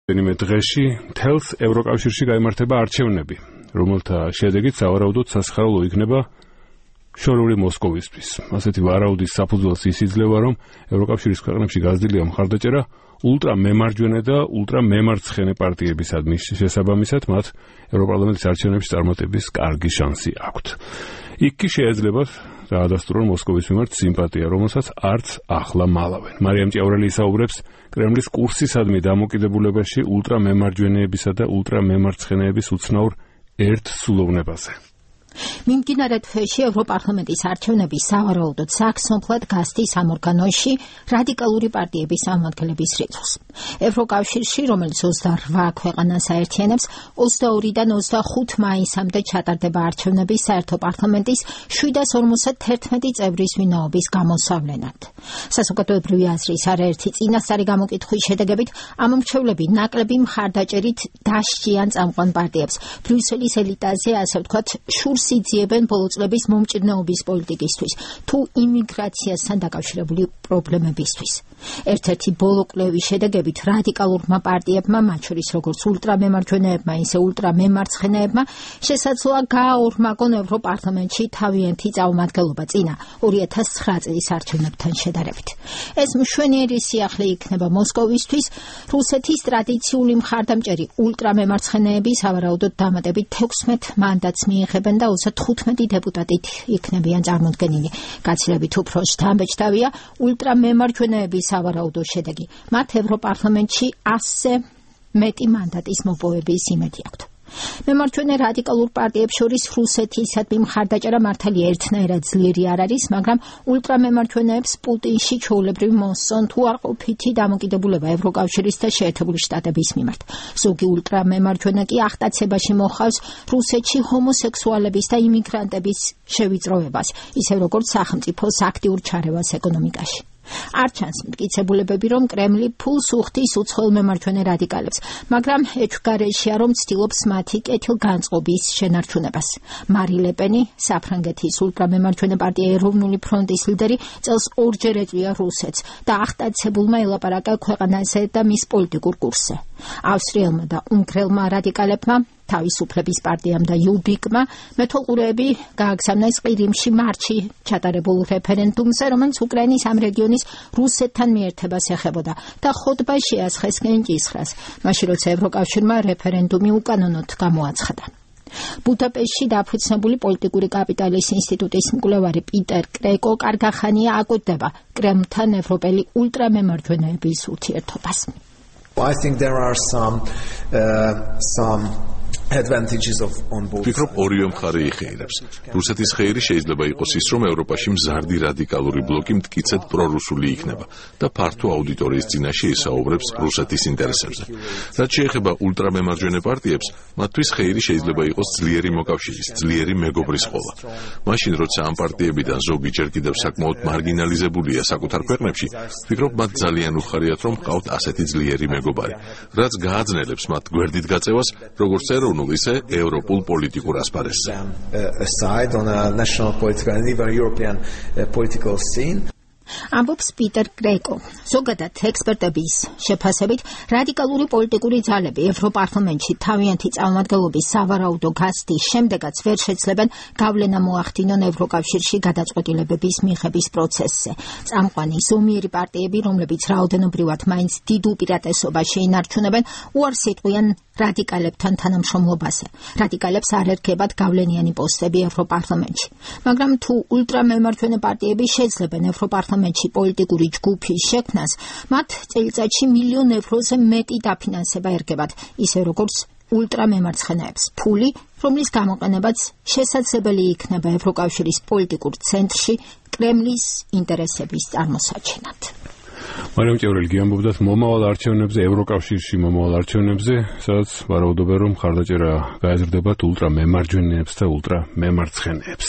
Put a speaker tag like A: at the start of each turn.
A: მე დღეში მთელს ევროკავშირში გაიმართება არჩევნები, რომელთა შედეგით სავარაუდოდ სასიხარულო იქნება შორეული მოსკოვისთვის. ასეთი ვარაუდის საფუძველს ის იძლევა, რომ ევროკავშირის ქვეყნებში გაზრდილია მხარდაჭერა ულტრამემარჯვენე და ულტრამემარცხენე პარტიებისადმი შესაბამისად, მათ ევროპარლამენტის არჩევნებში წარმატების კარგი შანსი აქვთ. იქ კი შეიძლება დაადასტურონ მოსკოვის მიმართ სიმპათია, რომელსაც არც ახლა მალავენ. მარიამ ჭიაურელი ისაუბრებს კრემლის კურსისადმი დამოკიდებულებაში ულტრამემარჯვენეებისა და ულტრამემარცხენეების უცნაურ ერთსულოვნებაზე.
B: მიმდინარე თვეში ევროპარლამენტის არჩევნები სავარაუდოდ საქსონფლად გასდის ამ ორგანოში რადიკალური პარტიების წარმომადგენლების რიცხვს. ევროკავშირში, რომელიც 28 ქვეყანას აერთიანებს, 22-დან 25 მაისამდე ჩატარდება არჩევნები საერთო პარლამენტის 751 წევრის ვინაობის გამოსავლენად. საზოგადოებრივი აზრის არაერთი წინასწარი გამოკითხვის შედეგებით ამ მრჩევლები ნაკლები მხარდაჭერით დასჯიან წამყვან პარტიებს. ბრიუსელის ელიტაზე, ასე ვთქვათ, შურს იძიებენ ბოლო წლების მომჭირნეობის პოლიტიკისთვის თუ იმიგრაციასთან დაკავშირებული პრობლემებისთვის. ერთ-ერთი ბოლო კვლევის შედეგებით რადიკალურმა პარტიებმა, მათ შორის როგორც ულტრამემარჯვენეებმა, ისე ულტრამემარცხენეებმა, შესაძლოა გააორმაგონ ევროპარლამენტში თავიანთი წარმომადგენლობა წინა 2009 წლის არჩევნებთან შედარებით. ეს მშვენიერი სიახლე იქნება მოსკოვისთვის. რუსეთის ტრადიციული მხარდამჭერი ულტრამემარცხენეები სავარაუდოდ დამატებით 16 მანდატს მიიღებენ და 15 დეპუტატით იქნებიან წარმოდგენილი. გაცილებით უფრო შთამბეჭდავია ულტრამემარჯვენეების სავარაუდო შედეგი. მათ ევროპარლამენტში 100-ზე მეტი მანდატის მოპოვების იმედი აქვთ. მემარჯვენე რადიკალურ პარტიებს შორის რუსეთისადმი მხარდაჭერა მართალია ერთნაირად ძლიერი არ არის, მაგრამ ულტრამემარჯვენეებს პუტინში ჩვეულებრივ მოსწონ თუ არ ყოფითი დამოკიდებულება ევროკავშირის და შეერთებული შტატების მიმართ. ზოგი ულტრამემარჯვენე კი აღტაცებაში მოხავს რუსეთში ჰომოსექსუალების და იმიგრანტების შევიწროებას, ისე როგორც სახელმწიფოს აქტიურ ჩარევას ეკონომიკაში. არ ჩანს მტკიცებულებები, რომ კრემლი ფულს უხდის უცხოელ მემარჯვენე რადიკალებს, მაგრამ ეჭვგარეშეა, რომ ცდილობს მათი კეთილგანწყობის შენარჩუნებას. მარი ლე-პენი, საფრანგეთის ულტრამემარჯვენე პარტია ეროვნული ფრონტის ლიდერი, წელს ორჯერ ეწვია რუსეთს და აღტაცებულმა ელაპარაკა ქვეყანაზე და მის პოლიტიკურ კურსზე. ავსტრიელმა და უნგრელმა რადიკალებმა, თავისუფლების პარტიამ და იუბიკმა მეთვალყურეები გააგზავნეს ყირიმში მარტში ჩატარებულ რეფერენდუმზე, რომელიც უკრაინის ამ რეგიონის რუსეთთან მიერთებას ეხებოდა და ხოტბა შეასხეს კენჭისხრას, მაშინ როცა ევროკავშირმა რეფერენდუმი უკანონოდ გამოაცხადა. ბუდაპეშტში დაფუძნებული პოლიტიკური კაპიტალის ინსტიტუტის მკვლევარი პიტერ კრეკო კარგახანია აკვირდება კრემლთან ევროპელი ულტრამემარჯვენეების ურთიერთობას.
C: I think there are some advantages on both.
D: ვფიქრობ, ორივე მხარე იხეირებს. რუსეთის ხეირი შეიძლება იყოს ის, რომ ევროპაში მზარდი რადიკალური ბლოკი მტკიცედ პრორუსული იქნება და ფართო აუდიტორიის წინაშე ისაუბრებს რუსეთის ინტერესებზე. რაც შეეხება ულტრამემარჯვენე პარტიებს, მათთვის ხეირი შეიძლება იყოს ძლიერი მოკავშირის, ძლიერი მეგობრის ყოლა. მაშინ, როცა ამ პარტიებიდან ზოგი ჯერ კიდევ საკმაოდ მარგინალიზებულია საკუთარ ქვეყნებში, ვფიქრობ, მათ ძალიან უხარიათ, რომ ჰყავთ ასეთი ძლიერი მეგობარი, რაც გააძნელებს მათ გვერდით გაწევას, როგორც ეროვნულ, ისე ევროპულ პოლიტიკურ ასპარესზე.
C: Aside on a national political and even European political scene.
B: ამბობს პიტერ კრეკო. ზოგადად ექსპერტების შეფასებით, რადიკალური პოლიტიკური ძალები ევროპარლამენტში თავიანთი წარმომადგენლობის სავარაუდო გასდის შემდეგაც ვერ შეძლებენ გავლენა მოახდინონ ევროკავშირში გადაწყვეტილებების მიღების პროცესზე. წამყვანი ზომიერი პარტიები, რომლებიც რაოდენობრივად მაინც დიდ უპირატესობაში ინარჩუნებენ, უარს იტყვიან რადიკალებთან თანამშრომლობაზე. რადიკალებს არ ერგებათ გავლენიანი პოსტები ევროპარლამენტში. მაგრამ თუ ულტრამემარჯვენე პარტიები შეძლებენ ევროპარლამენტში პოლიტიკური ჯგუფის შექმნას, მათ წელიწადში 1,000,000 ევროზე მეტი დაფინანსება ერგებათ, ისე როგორც ულტრამემარცხენეებს. ფული, რომლის გამოყენებაც შესაძლებელი იქნება ევროკავშირის პოლიტიკურ ცენტრში კრემლის ინტერესების წარმოსაჩენად.
A: მარიამ ჭიაურელი გიამბობდათ მომავალ არჩევნებზე, ევროკავშირში მომავალ არჩევნებზე, სადაც ვარაუდობენ, რომ მხარდაჭერა გაეზრდებათ ულტრამემარჯვენეებს და ულტრამემარცხენეებს.